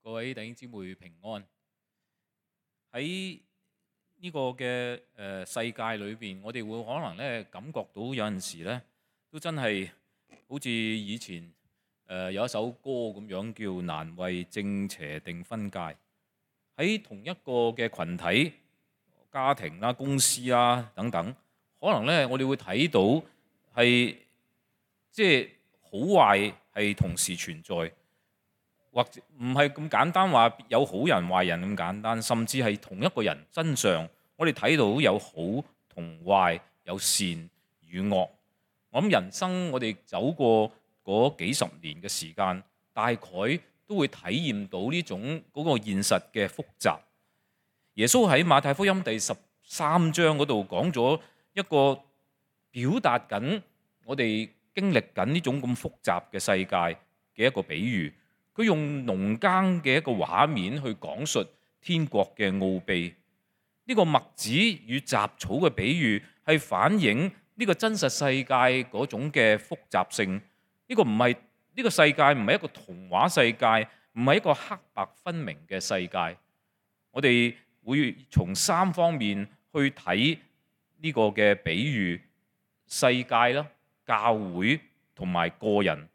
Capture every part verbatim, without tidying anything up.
各位弟兄姊妹平安。喺呢個嘅誒世界裏邊，我哋會可能咧感覺到有陣時咧，都真係好似以前誒、呃、有一首歌咁樣，叫難為正邪定分界。喺同一個嘅群體、家庭啦、公司啦等等，可能咧我哋會睇到係即係好壞係同時存在。或者唔係咁簡單話有好人壞人咁簡單，甚至係同一個人身上，我哋睇到有好同壞，有善與惡。我諗人生我哋走過嗰幾十年嘅時間，大概都會體驗到呢種嗰個現實嘅複雜。耶穌喺馬太福音第十三章嗰度講咗一個表達緊我哋經歷緊呢種咁複雜嘅世界嘅一個比喻。佢用農耕嘅一個畫面去講述天國嘅奧秘。呢個麥子與雜草嘅比喻係反映呢個真實世界嗰種嘅複雜性。呢個唔係呢個世界唔係一個童話世界，唔係一個黑白分明嘅世界。我哋會從三方面去睇呢個嘅比喻：世界啦、教會同埋個人，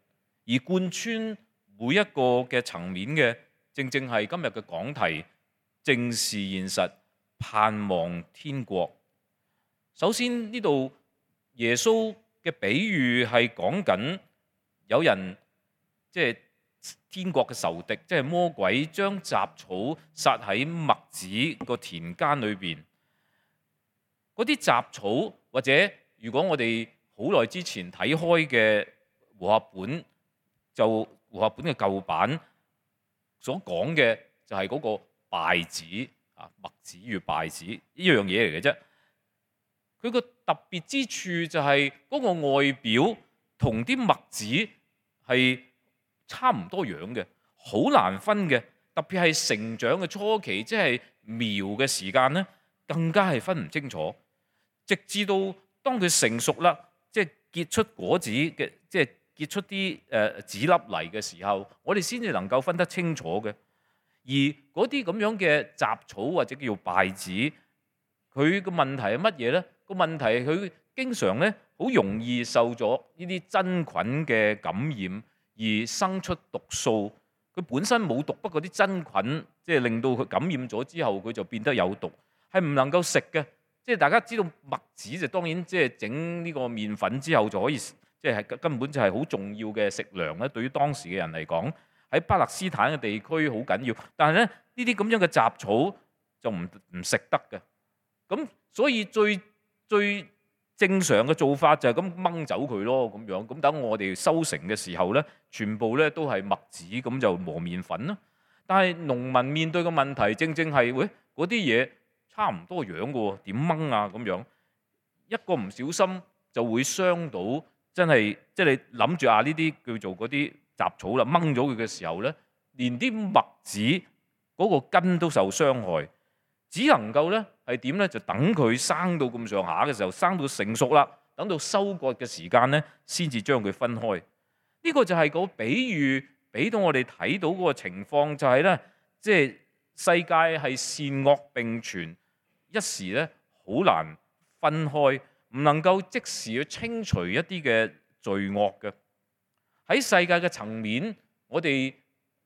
而貫穿每一個嘅層面嘅，正正係今日嘅講題，正視現實，盼望天國。首先呢度耶穌嘅比喻係講緊有人即係天國嘅仇敵，即係魔鬼，將雜草撒喺麥子個田間裏邊。嗰啲雜草，或者如果我哋好耐之前睇開嘅和合本，就和合本嘅舊版所講嘅就係嗰個稗子啊，麥子與稗子呢樣嘢嚟嘅啫。佢個特別之處就係嗰個外表同啲麥子係差唔多樣嘅，好難分嘅。特別係成長嘅初期，即係苗嘅時間咧，更加係分唔清楚。直至到當佢成熟啦，即係結出果子嘅，即係結出啲誒籽粒嚟嘅時候，我哋先至能夠分得清楚嘅。而嗰啲咁樣嘅雜草或者叫做稗子，佢個問題係乜嘢咧？個問題係佢經常咧好容易受咗呢啲真菌嘅感染，而生出毒素。佢本身冇毒，不過啲真菌即係令到佢感染咗之後，佢就變得有毒，係唔能夠食嘅。即係大家知道麥子就當然即係整呢個麵粉之後就可以。即係根本就係好重要嘅食糧咧，對於當時嘅人嚟講，喺巴勒斯坦嘅地區好緊要。但係咧呢啲咁樣嘅雜草就唔唔食得嘅。咁所以最最正常嘅做法就係咁掹走佢咯，咁樣咁等我哋收成嘅時候咧，全部咧都係麥子，咁就磨麵粉啦。但係農民面對嘅問題正正係喂，嗰啲嘢差唔多樣嘅喎，點掹啊咁樣？一個唔小心就會傷到。真係，即係你諗住啊！呢啲叫做嗰啲雜草啦，掹咗佢嘅時候咧，連啲麥子嗰個根都受傷害，只能夠咧係點咧？就等佢生到咁上下嘅時候，生到成熟啦，等到收割嘅時間咧，先至將佢分開。呢個就係個比喻，俾到我哋睇到嗰個情況，就係咧，即係世界係善惡並存，一時咧好難分開。唔能夠即時去清除一啲嘅罪惡嘅。喺世界嘅層面，我哋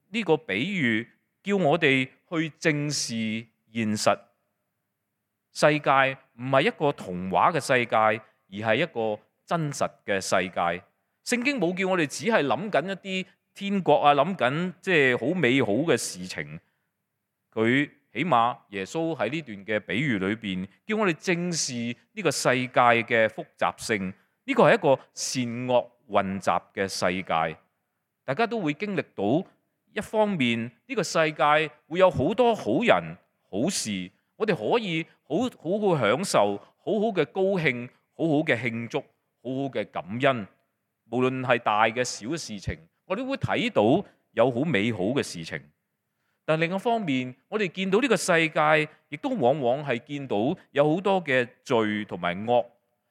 呢個比喻叫我哋去正視現實。世界唔係一個童話嘅世界，而係一個真實嘅世界。聖經冇叫我哋只係諗緊一啲天國啊，諗緊即係好美好嘅事情。佢起碼耶穌喺呢段嘅比喻裏邊，叫我哋正視呢個世界嘅複雜性。呢個係一個善惡混雜嘅世界，大家都會經歷到。一方面呢個世界會有好多好人好事，我哋可以好好好享受，好好嘅高興，好好嘅慶祝，好好嘅感恩。無論係大嘅小嘅事情，我哋會睇到有好美好嘅事情。但另一方面，我哋見到呢個世界，亦都往往係見到有好多嘅罪同埋惡，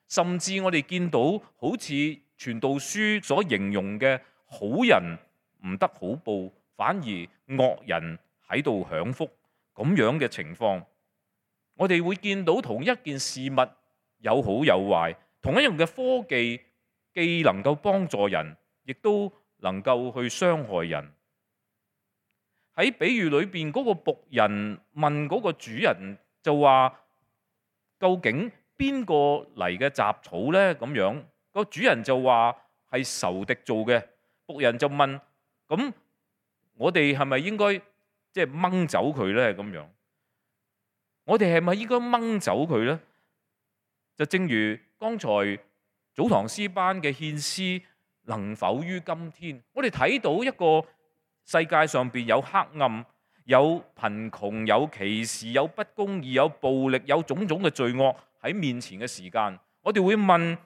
甚至我哋見到好似傳道書所形容嘅好人唔得好報，反而惡人喺度享福咁樣嘅情況。我哋會見到同一件事物有好有壞，同一樣嘅科技既能夠幫助人，亦都能夠去傷害人。喺比喻裏邊，嗰個僕人問嗰個主人就話：究竟邊個嚟嘅雜草呢？咁樣，個主人就話係仇敵做嘅。僕人就問：咁我哋係咪應該即係掹走佢呢？咁樣，我哋係咪應該掹走佢呢？就正如剛才早堂詩班嘅獻詩，能否於今天？我哋睇到一個世界上邊有黑暗、有貧窮、有歧視、有不公義、有暴力、有種種嘅罪惡喺面前嘅時間，我哋會問：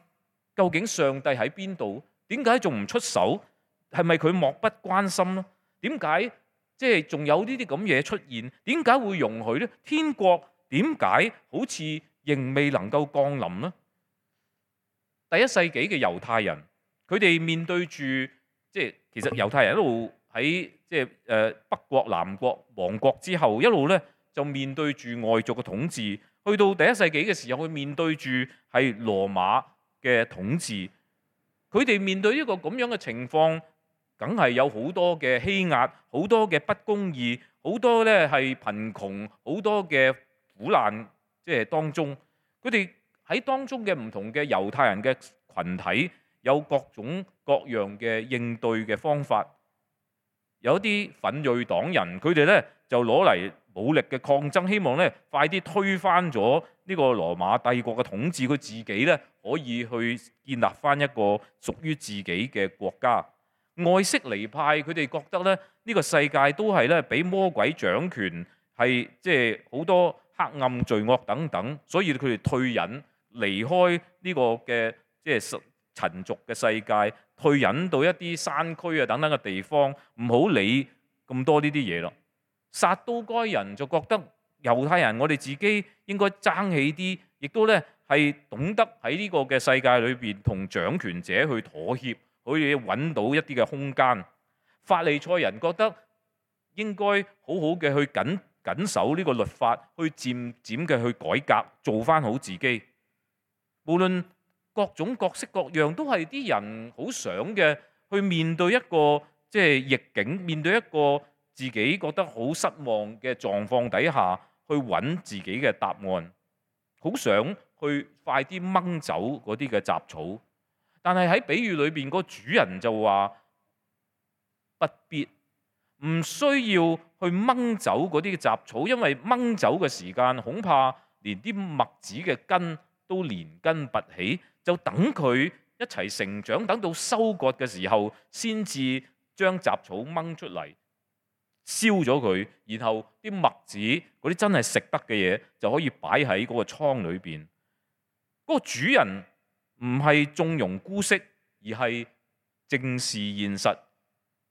究竟上帝喺邊度？點解仲唔出手？係咪佢漠不關心呢？點解即係仲有呢啲咁嘢出現？點解會容許呢？天國點解好似仍未能夠降臨呢？第一世紀嘅猶太人，佢哋面對住即係其實猶太人一路喺即係誒北國南國亡國之後，一路咧就面對住外族嘅統治。去到第一世紀嘅時候，佢面對住係羅馬嘅統治。佢哋面對一個咁樣嘅情況，梗係有好多嘅欺壓，好多嘅不公義，好多咧係貧窮，好多嘅苦難，即係當中。佢哋喺當中嘅唔同嘅猶太人嘅群體，有各種各樣嘅應對嘅方法。有啲奮銳黨人，佢哋咧就攞嚟武力嘅抗爭，希望咧快啲推翻咗呢個羅馬帝國嘅統治，佢自己咧可以去建立翻一個屬於自己嘅國家。愛色尼派佢哋覺得咧呢個世界都係咧俾魔鬼掌權，係即係好多黑暗罪惡等等，所以佢哋退隱離開呢個嘅即係塵俗嘅世界，退隱到一啲山區啊等等嘅地方，唔好理咁多呢啲嘢咯。撒都該人就覺得猶太人，我哋自己應該爭起啲，亦都咧係懂得喺呢個嘅世界裏邊同掌權者去妥協，可以揾到一啲嘅空間。法利賽人覺得應該好好嘅去緊緊守呢個律法，去漸漸嘅去改革，做翻好自己。無論各種各式各樣，都係啲人好想嘅，去面對一個即係逆境，面對一個自己覺得好失望嘅狀況底下，去揾自己嘅答案，好想去快啲掹走嗰啲嘅雜草。但係喺比喻裏邊，個主人就話不必，唔需要去掹走嗰啲嘅雜草，因為掹走嘅時間恐怕連啲麥子嘅根都連根拔起，就等佢一齊成長，等到收割嘅時候，先至將雜草掹出嚟，燒咗佢，然後啲麥子嗰啲真係食得嘅嘢就可以擺喺嗰個倉裏邊。嗰個主人唔係縱容姑息，而係正視現實，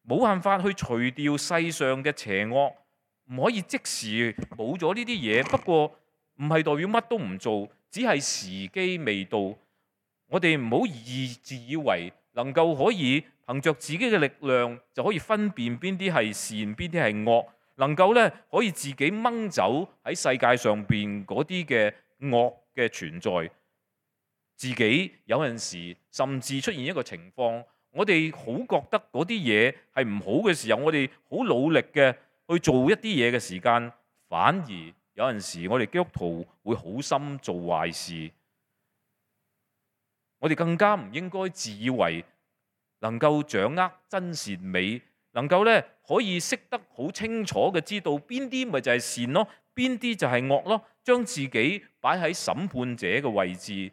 冇辦法去除掉世上嘅邪惡，唔可以即時冇咗呢啲嘢。不過唔係代表乜都唔做，只係時機未到。我哋唔好以自以為能夠可以憑着自己嘅力量就可以分辨邊啲係善，邊啲係惡，能夠咧可以自己掹走喺世界上邊嗰啲嘅惡嘅存在。自己有陣時甚至出現一個情況，我哋好覺得嗰啲嘢係唔好嘅時候，我哋好努力嘅去做一啲嘢嘅時間，反而有陣時我哋基督徒會好心做壞事。我哋更加唔應該自以為能夠掌握真善美，能夠咧可以識得好清楚嘅知道邊啲咪就係善咯，邊啲就係惡咯，將自己擺喺審判者嘅位置。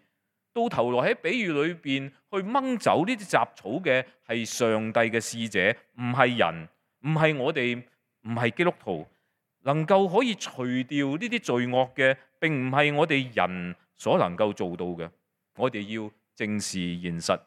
到頭來喺比喻裏邊去掹走呢啲雜草嘅係上帝嘅使者，唔係人，唔係我哋，唔係基督徒。能夠可以除掉呢啲罪惡嘅，並唔係我哋人所能夠做到嘅。我哋要正視現實，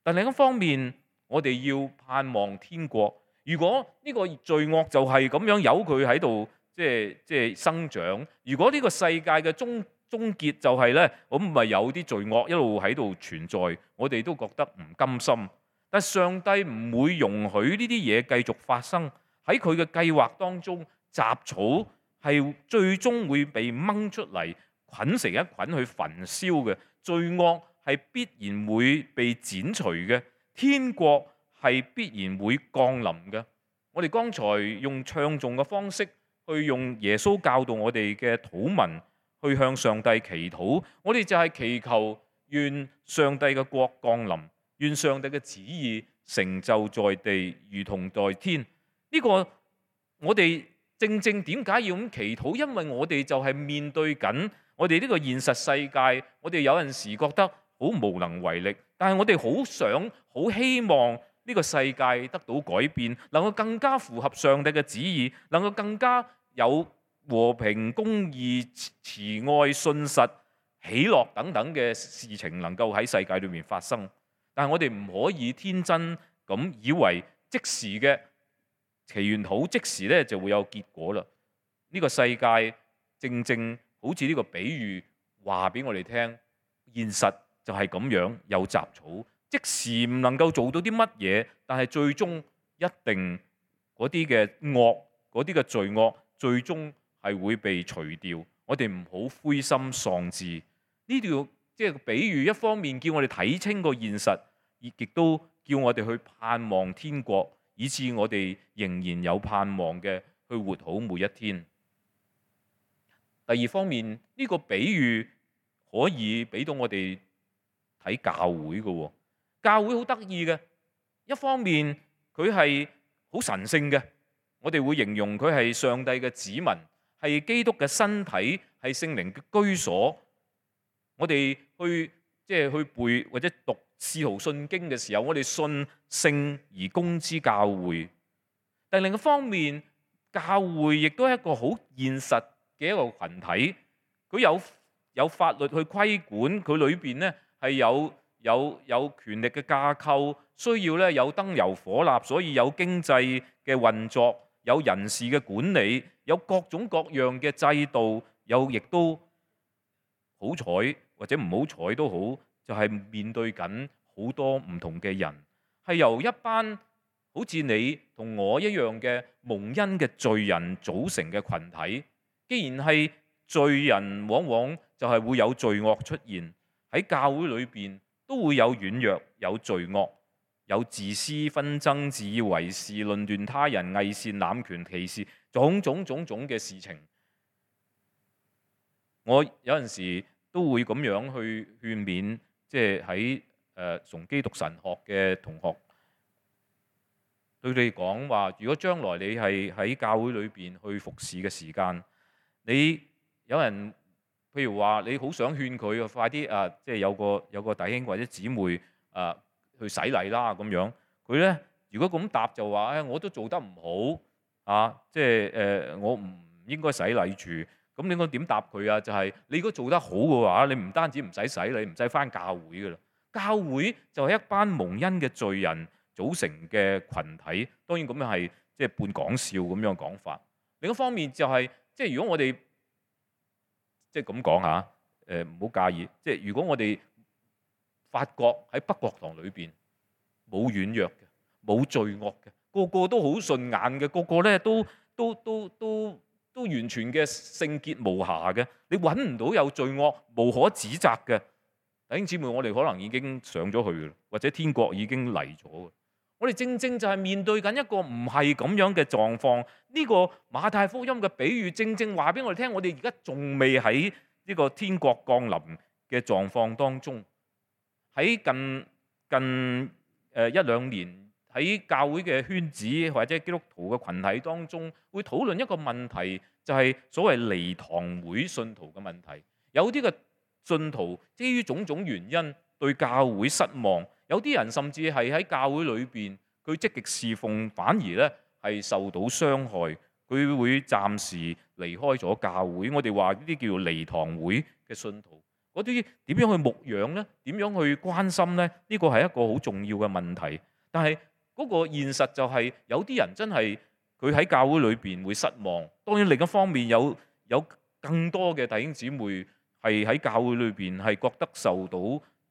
但另一方面，我哋要盼望天國。如果呢個罪惡就係咁樣由佢喺度，即係即係生長。如果呢個世界嘅終終結就係咧，咁咪有啲罪惡一路喺度存在，我哋都覺得唔甘心。但上帝唔會容許呢啲嘢繼續發生，喺佢嘅計劃當中，雜草係最終會被掹出嚟，捆成一捆去焚燒嘅。罪惡係必然會被剪除嘅，天國係必然會降臨嘅。我哋剛才用唱頌嘅方式去用耶穌教導我哋嘅禱文去向上帝祈禱，我哋就係祈求願上帝嘅國降臨，願上帝嘅旨意成就在地，如同在天。呢、這個我哋正正點解要咁祈禱？因為我哋就係面對緊我哋呢個現實世界，我哋有陣時覺得好無能為力，但係我哋好想、好希望呢個世界得到改變，能夠更加符合上帝嘅旨意，能夠更加有和平、公義、慈愛、信實、喜樂等等嘅事情能夠喺世界裏面發生。但係我哋唔可以天真咁以為即時嘅祈願禱即時咧就會有結果啦。呢個世界正正好似呢個比喻話俾我哋聽，現實就係咁樣，有雜草，即時唔能夠做到啲乜嘢，但係最終一定嗰啲嘅惡、嗰啲嘅罪惡，最終係會被除掉。我哋唔好灰心喪志。呢條即係比喻，一方面叫我哋睇清個現實，亦都叫我哋去盼望天國，以致我哋仍然有盼望嘅去活好每一天。第二方面，呢個比喻可以俾到我哋睇教會嘅。教會好得意嘅，一方面佢係好神聖嘅，我哋會形容佢係上帝嘅子民，係基督嘅身體，係聖靈嘅居所。我哋去即係去背或者讀使徒信經嘅時候，我哋信聖而公之教會。但另一方面，教會亦都係一個好現實嘅一個群體，佢有有法律去規管，佢裏邊咧係有有有權力嘅架構，需要咧有燈油火蠟，所以有經濟嘅運作，有人事嘅管理，有各種各樣嘅制度，有亦都好彩或者唔好彩都好，就係面對緊好多唔同嘅人，係由一班好似你同我一樣嘅蒙恩嘅罪人組成嘅群體。既然係罪人，往往就係會有罪惡出現喺教會裏邊，都會有軟弱、有罪惡、有自私、紛爭、自以為是、論斷他人、偽善、濫權、歧視，種種種種嘅事情。我有陣時都會咁樣去勸勉，即係喺誒崇基讀神學嘅同學，對你講話，如果將來你係喺教會裏邊去服侍嘅時間，你有人譬如話你好想勸佢快啲啊，即係有個有個弟兄或者姊妹啊去洗禮啦咁樣，佢咧如果咁答就話，誒、哎、我都做得唔好啊，即係誒、呃、我唔應該洗禮住。咁你應該點答佢啊？就係、是、你如果做得好嘅話，你唔單止唔使洗禮，唔使返教會噶啦。教會就係一班蒙恩嘅罪人組成嘅群體。當然咁樣係即係半講笑咁樣講法。另一方面就係、是、即係如果我哋即係咁講下，誒唔好介意。即係如果我哋發覺喺北國堂裏邊冇軟弱嘅，冇罪惡嘅，個個都好順眼嘅，個個咧都都都都都完全嘅聖潔無瑕嘅，你揾唔到有罪惡無可指責嘅。弟兄姊妹，我哋可能已經上咗去啦，或者天國已經嚟咗。我哋正正就係面對緊一個唔係咁樣嘅狀況。呢個馬太福音嘅比喻正正話俾我哋聽，我哋而家仲未喺呢個天國降臨嘅狀況當中。喺近近誒一兩年，喺教會嘅圈子或者基督徒嘅群體當中，會討論一個問題，就係所謂離堂會信徒嘅問題。有啲嘅信徒基於種種原因對教會失望，有啲人甚至係喺教會裏邊佢積極侍奉，反而咧係受到傷害，佢會暫時離開咗教會。我哋話呢啲叫做離堂會嘅信徒，嗰啲點樣去牧養呢？點樣去關心呢？呢個係一個好重要嘅問題。但係嗰個現實就係有啲人真係佢喺教會裏邊會失望。當然另一方面有有更多嘅弟兄姊妹係喺教會裏邊係覺得受到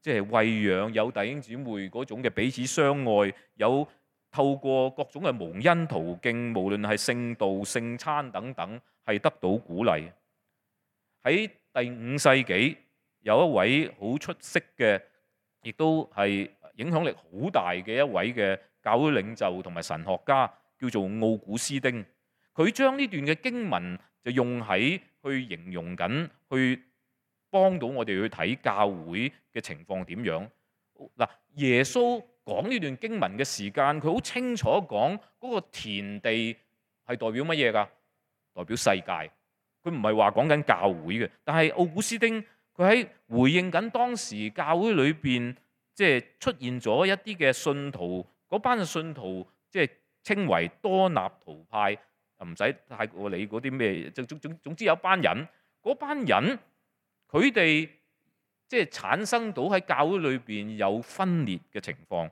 即係餵養，有弟兄姊妹嗰種嘅彼此相愛，有透過各種嘅蒙恩途徑，無論係聖道、聖餐等等，係得到鼓勵。喺第五世紀，有一位好出色嘅，亦都係影響力好大嘅一位嘅教會領袖同埋神學家，叫做奧古斯丁。佢將呢段嘅經文就用喺去形容緊，去幫到我哋去睇教會嘅情況點樣。嗱，耶穌講呢段經文嘅時間，佢好清楚講嗰個田地係代表乜嘢㗎？代表世界。佢唔係話講緊教會嘅，但係奧古斯丁佢喺回應緊當時教會裏邊即係出現咗一啲嘅信徒，嗰班嘅信徒即係稱為多納圖派，唔使太過理嗰啲咩，總總總之有班人，嗰班人佢哋即係產生到喺教會裏邊有分裂嘅情況，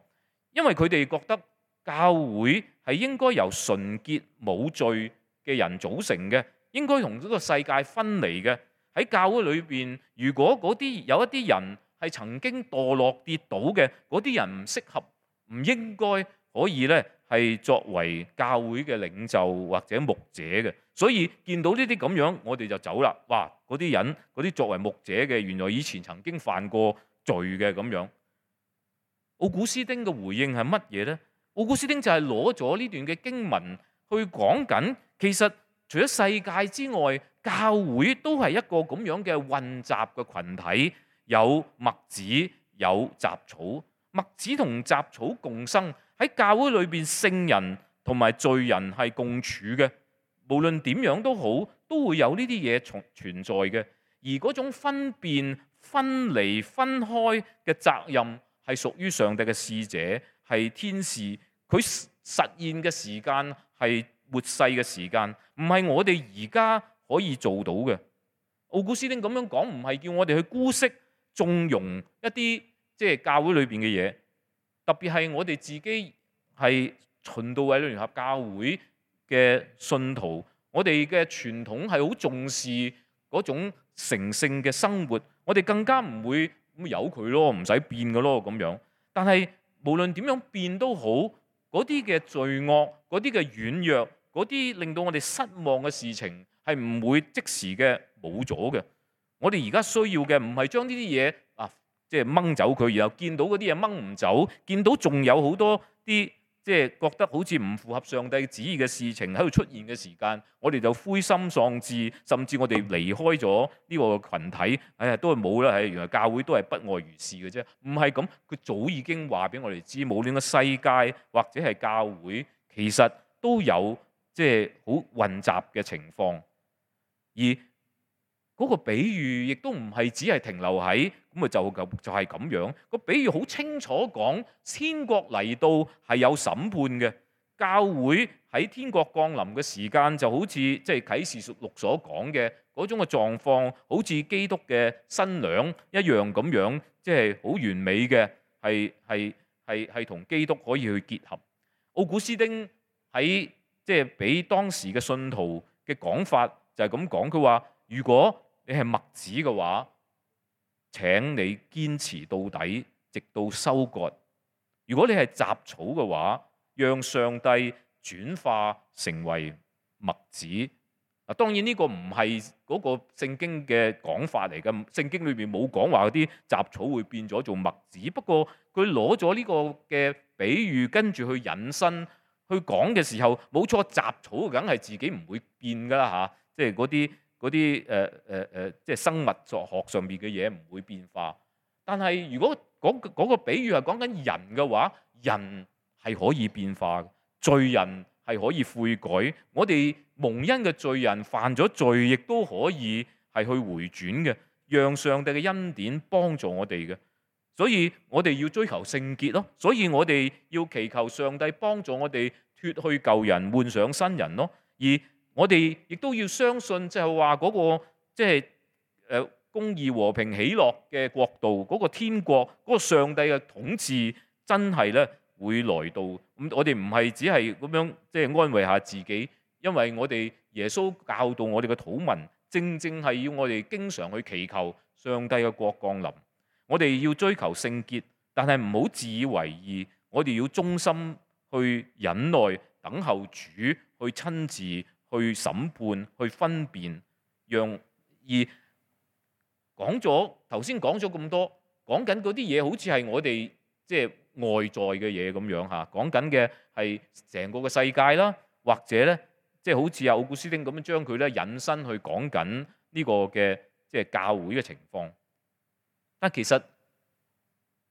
因為佢哋覺得教會係應該由純潔冇罪嘅人組成嘅。應該同呢個世界分離嘅。喺教會裏邊，如果嗰啲有一啲人係曾經墮落跌倒嘅，嗰啲人唔適合，唔應該可以咧係作為教會嘅領袖或者牧者嘅。所以見到呢啲咁樣，我哋就走啦。哇！嗰啲人嗰啲作為牧者嘅，原來以前曾經犯過罪嘅咁樣。奧古斯丁嘅回應係乜嘢呢？奧古斯丁就係攞咗呢段嘅經文去講緊，其實除咗世界之外，教會都係一個咁樣嘅混雜嘅群體，有麥子，有雜草。麥子同雜草共生，喺教會裏邊，聖人同埋罪人係共處嘅。無論點樣都好，都會有呢啲嘢存存在嘅。而嗰種分辨、分離、分開嘅責任，係屬於上帝嘅使者，係天使。佢實現嘅時間係末世嘅時間，唔係我哋而家可以做到嘅。奧古斯丁咁樣講，唔係叫我哋去姑息、縱容一啲即係教會裏邊嘅嘢，特別係我哋自己係循道衛理聯合教會嘅信徒，我哋嘅傳統係好重視嗰種成聖嘅生活，我哋更加唔會咁由佢咯，唔使變嘅咯咁樣。但係無論點樣變都好，嗰啲嘅罪惡、嗰啲嘅軟弱、嗰啲令到我哋失望嘅事情係唔會即時嘅冇咗嘅。我哋而家需要嘅唔係將呢啲嘢啊，即係掹走佢，然後見到嗰啲嘢掹唔走，見到仲有好多啲即係覺得好似唔符合上帝旨意嘅事情喺度出現嘅時間，我哋就灰心喪志，甚至我哋離開咗呢個群體。哎呀，都係冇啦，係原來教會都係不外如是嘅啫。唔係咁，佢早已經話俾我哋知，無論個世界或者係教會，其實都有。即係好混雜嘅情況，而嗰個比喻亦都唔係只係停留喺咁啊，就咁就係咁樣。個比喻好清楚講，天國嚟到係有審判嘅。教會喺天國降臨嘅時間，就好似即係啟示錄所講嘅嗰種嘅狀況，好似基督嘅新娘一樣咁樣，即係好完美嘅，係係係係同基督可以去結合。奧古斯丁喺即係俾當時嘅信徒嘅講法就係咁講，佢話：如果你係麥子嘅話，請你堅持到底，直到收割；如果你係雜草嘅話，讓上帝轉化成為麥子。嗱，當然呢個唔係嗰個聖經嘅講法嚟嘅，聖經裏邊冇講話嗰啲雜草會變咗做麥子。不過佢攞咗呢個嘅比喻，跟住去引申。去講嘅時候，冇錯，雜草梗係自己唔會變噶啦嚇，即係嗰啲嗰啲誒誒誒，即係生物學上面嘅嘢唔會變化。但係如果嗰嗰個比喻係講緊人嘅話，人係可以變化嘅，罪人係可以悔改。我哋蒙恩嘅罪人犯咗罪，亦都可以係去回轉嘅，讓上帝嘅恩典幫助我哋嘅。所以我哋要追求聖潔咯，所以我哋要祈求上帝幫助我哋脫去舊人，換上新人咯。而我哋亦都要相信，就係話嗰個即係誒公義、和平、喜樂嘅國度，嗰個天國，嗰個上帝嘅統治，真係咧會來到。咁我哋唔係只係咁樣即係安慰下自己，因為我哋耶穌教導我哋嘅禱文，正正係要我哋經常去祈求上帝嘅國降臨。我哋要追求聖潔，但係唔好自以為義。我哋要忠心去忍耐等候主，去親自去審判、去分辨，讓而講咗頭先講咗咁多，講緊嗰啲嘢好似係我哋即係外在嘅嘢咁樣嚇，講緊嘅係成個嘅世界啦，或者咧即係好似阿奧古斯丁咁樣將佢咧引申去講緊呢個嘅即係教會嘅情況。但其實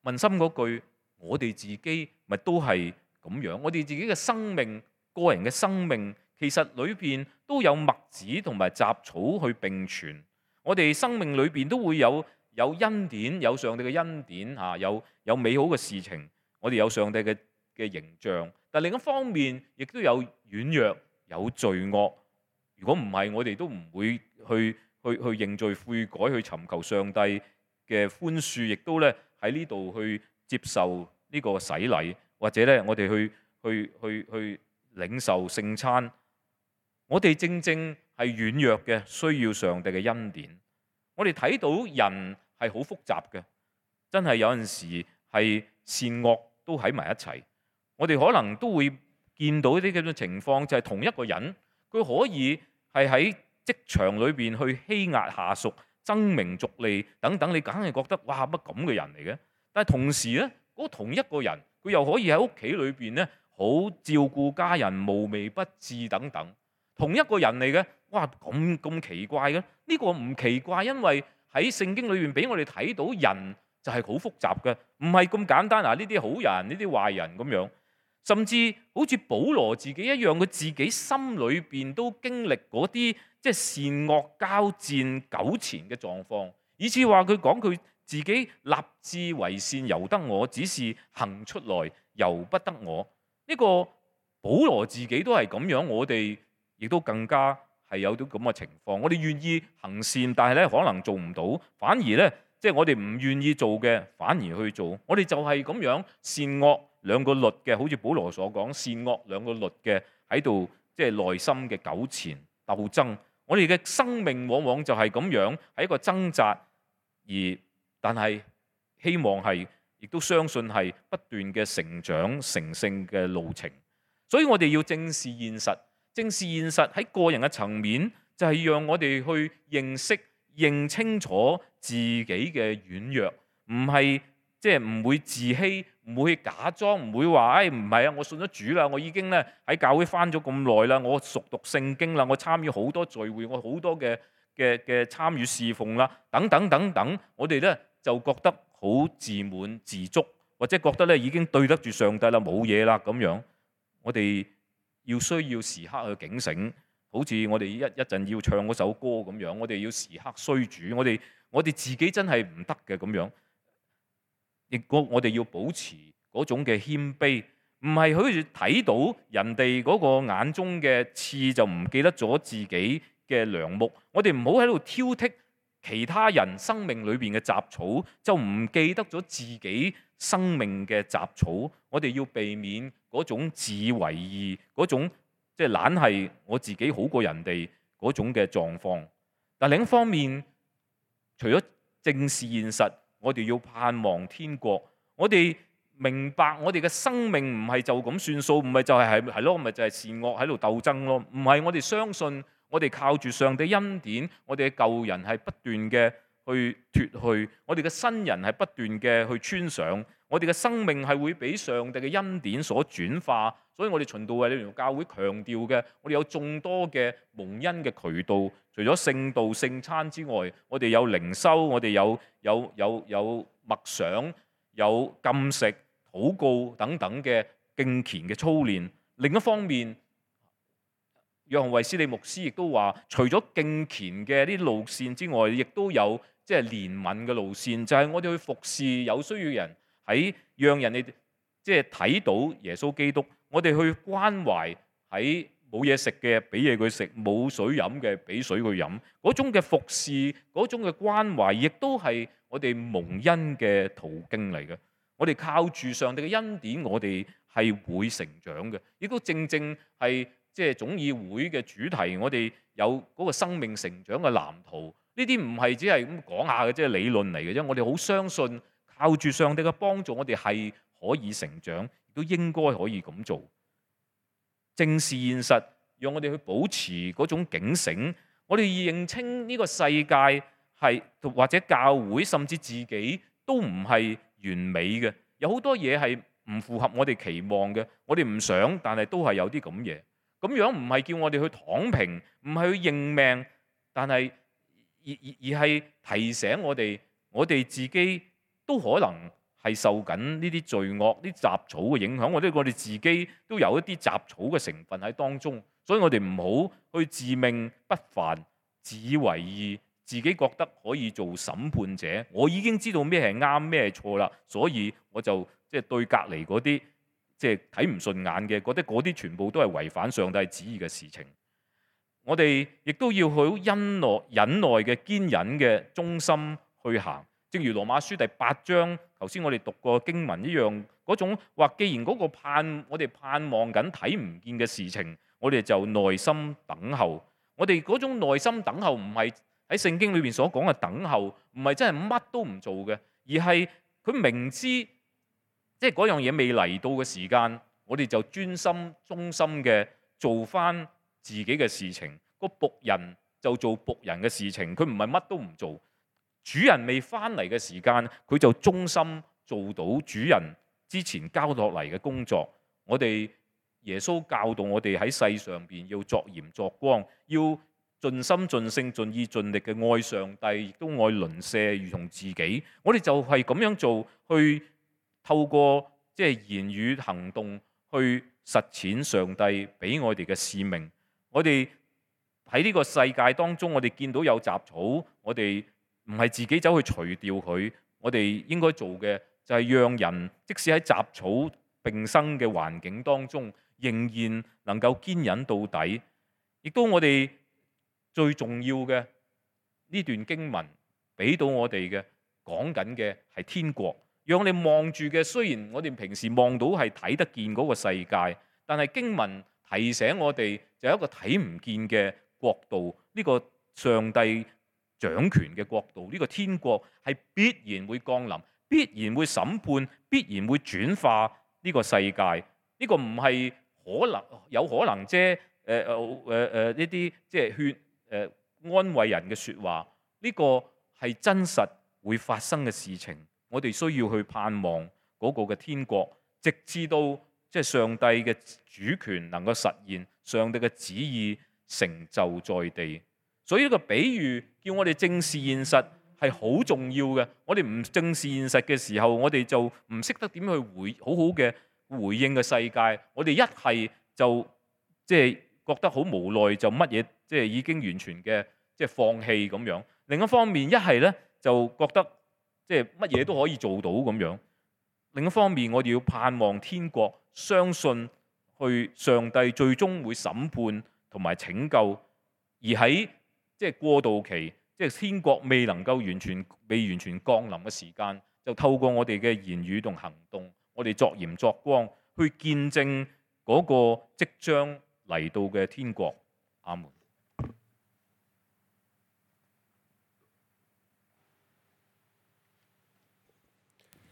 問心嗰句，我哋自己咪都係咁樣，我哋自己嘅生命、個人嘅生命，其實裏邊都有麥子同埋雜草去並存。我哋生命裏邊都會有有恩典，有上帝嘅恩典嚇，有有美好嘅事情，我哋有上帝嘅嘅形象。但另一方面，亦都有軟弱、有罪惡。如果唔係，我哋都唔會去去去認罪悔改，去尋求上帝嘅寬恕，亦都咧喺呢度去接受呢個洗禮，或者咧我哋去去去去領受聖餐。我哋正正係軟弱嘅，需要上帝嘅恩典。我哋睇到人係好複雜嘅，真係有陣時係善惡都喺埋一齊。我哋可能都會見到一啲咁嘅情況，就係同一個人，佢可以係喺職場裏邊去欺壓下屬、爭名逐利等等，你梗係覺得哇乜咁嘅人嚟嘅？但係同時咧，嗰同一個人，佢又可以喺屋企裏邊咧好照顧家人、無微不至等等。同一個人嚟嘅，哇咁咁奇怪嘅？呢個唔奇怪，因為喺聖經裏邊俾我哋睇到人就係好複雜嘅，唔係咁簡單啊！呢啲好人，呢啲壞人咁樣，甚至好似保羅自己一樣，佢自己心裏邊都經歷嗰啲即係善惡交戰糾纏嘅狀況，以至話佢講佢自己立志為善由得我，只是行出來由不得我。呢個保羅自己都係咁樣，我哋亦都更加係有啲咁嘅情況。我哋願意行善，但係咧可能做唔到，反而咧即係我哋唔願意做嘅，反而去做。我哋就係咁樣善惡兩個律嘅，好似保羅所講，善惡兩個律嘅喺度，即係內心嘅糾纏鬥爭。我哋嘅生命往往就係咁樣，係一個掙扎，而但係希望係，亦都相信係不斷嘅成長成聖嘅路程。所以我哋要正視現實。正視現實喺個人嘅層面，就係讓我哋去認識、認清楚自己嘅軟弱，唔係即係唔會自欺，唔會假裝，唔會話誒唔係啊，我信咗主啦，我已經咧喺教會返咗咁耐啦，我熟讀聖經啦，我參與好多聚會，我好多嘅嘅嘅參與侍奉啦，等等等等，我哋咧就覺得好自滿自足，或者覺得咧已經對得住上帝啦，冇嘢啦咁樣，我哋要需要時刻去警醒，好似我哋一一陣要唱嗰首歌咁樣，我哋要時刻需主，我哋我哋自己真係唔得嘅咁樣，亦我我哋要保持嗰種嘅謙卑，唔係好似睇到人哋嗰個眼中嘅刺就唔記得咗自己嘅梁木，我哋唔好喺度挑剔其他人生命裏邊嘅雜草，就唔記得咗自己生命嘅雜草。我哋要避免嗰種自以為義，嗰種即係懶係我自己好過人哋嗰種嘅狀況。但另一方面，除咗正視現實，我哋要盼望天國。我哋明白我哋嘅生命唔係就咁算數，唔係就係係係咯，咪就係善惡喺度鬥爭咯。唔係，我哋相信我哋靠住上帝恩典，我哋嘅舊人係不斷嘅去脫去，我哋嘅新人係不斷嘅去穿上。我哋嘅生命係會俾上帝嘅恩典所轉化，所以我哋循道衛理聯合教會強調嘅，我哋有眾多嘅蒙恩嘅渠道，除咗聖道聖餐之外，我哋有靈修，我哋有有有有默想，有禁食、禱告等等嘅敬虔嘅操練。另一方面，約翰衛斯理牧師亦都話，除咗敬虔嘅啲路線之外，亦都有即係憐憫嘅路線，就係我哋去服侍有需要人。喺讓人哋即係睇到耶穌基督，我哋去關懷喺冇嘢食嘅，俾嘢佢食；冇水飲嘅，俾水佢飲。嗰種嘅服侍，嗰種嘅關懷，亦都係我哋蒙恩嘅途徑嚟嘅。我哋靠住上帝嘅恩典，我哋係會成長嘅。亦都正正係即係總議會嘅主題，我哋有嗰個生命成長嘅藍圖。呢啲唔係只係咁講下嘅，即係理論嚟嘅啫。我哋好相信。靠住上帝嘅幫助，我哋係可以成長，亦都應該可以咁做。正視現實，讓我哋去保持嗰種警醒。我哋認清呢個世界係或者教會甚至自己都唔係完美嘅，有好多嘢係唔符合我哋期望嘅，我哋唔想，但係都係有啲咁嘢。咁樣唔係叫我哋去躺平，唔係去認命，但係而而而係提醒我哋，我哋自己都可能係受緊呢啲罪惡、啲雜草嘅影響，或者我哋自己都有一啲雜草嘅成分喺當中，所以我哋唔好去自命不凡、自以為義，自己覺得可以做審判者。我已經知道咩係啱，咩係錯啦，所以我就即係對隔離嗰啲即係睇唔順眼嘅，覺得嗰啲全部都係違反上帝旨意嘅事情。我哋亦都要好忍耐、忍耐嘅堅忍嘅忠心去行。正如羅馬書第八章頭先我哋讀過經文一樣，嗰種話，既然嗰個盼我哋盼望緊睇唔見嘅事情，我哋就耐心等候。我哋嗰種耐心等候唔係喺聖經裏邊所講嘅等候，唔係真係乜都唔做嘅，而係佢明知即係嗰樣嘢未嚟到嘅時間，我哋就專心忠心嘅做翻自己嘅事情。個僕人就做僕人嘅事情，佢唔係乜都唔做。主人未翻嚟嘅時間，佢就忠心做到主人之前交落嚟嘅工作。我哋耶穌教導我哋喺世上邊要作鹽作光，要盡心盡性盡意盡力嘅愛上帝，亦都愛鄰舍如同自己。我哋就係咁樣做，去透過即係言語行動去實踐上帝俾我哋嘅使命。我哋喺呢個世界當中，我哋見到有雜草，我哋唔係自己走去除掉佢，我哋應該做嘅就係讓人即使喺雜草並生嘅環境當中，仍然能夠堅忍到底。亦都我哋最重要嘅呢段經文俾到我哋嘅講緊嘅係天國，讓你望住嘅，雖然我哋平時望到係睇得見嗰個世界，但係經文提醒我哋就有一個睇唔見嘅國度，呢個上帝掌權嘅國度，呢個天國係必然會降臨，必然會審判，必然會轉化呢個世界。呢個唔係可能有可能啫，誒誒誒誒呢啲即係勸誒安慰人嘅説話。呢個係真實會發生嘅事情，我哋需要去盼望嗰個嘅天國，直至到即係上帝嘅主權能夠實現，上帝嘅旨意成就在地。所以呢個比喻叫我哋正視現實係好重要嘅。我哋唔正視現實嘅時候，我哋就唔識得點去回好好嘅回應嘅世界。我哋一係就即係覺得好無奈，就乜嘢即係已經完全嘅即係放棄咁樣。另一方面，一係咧就覺得即係乜嘢都可以做到咁樣。另一方面，我哋要盼望天國，相信去上帝最終會審判同埋拯救，而喺即係過渡期，即係天國未能夠完全未完全降臨嘅時間，就透過我哋嘅言語同行動，我哋作鹽作光，去見證嗰個即將嚟到嘅天國。阿門。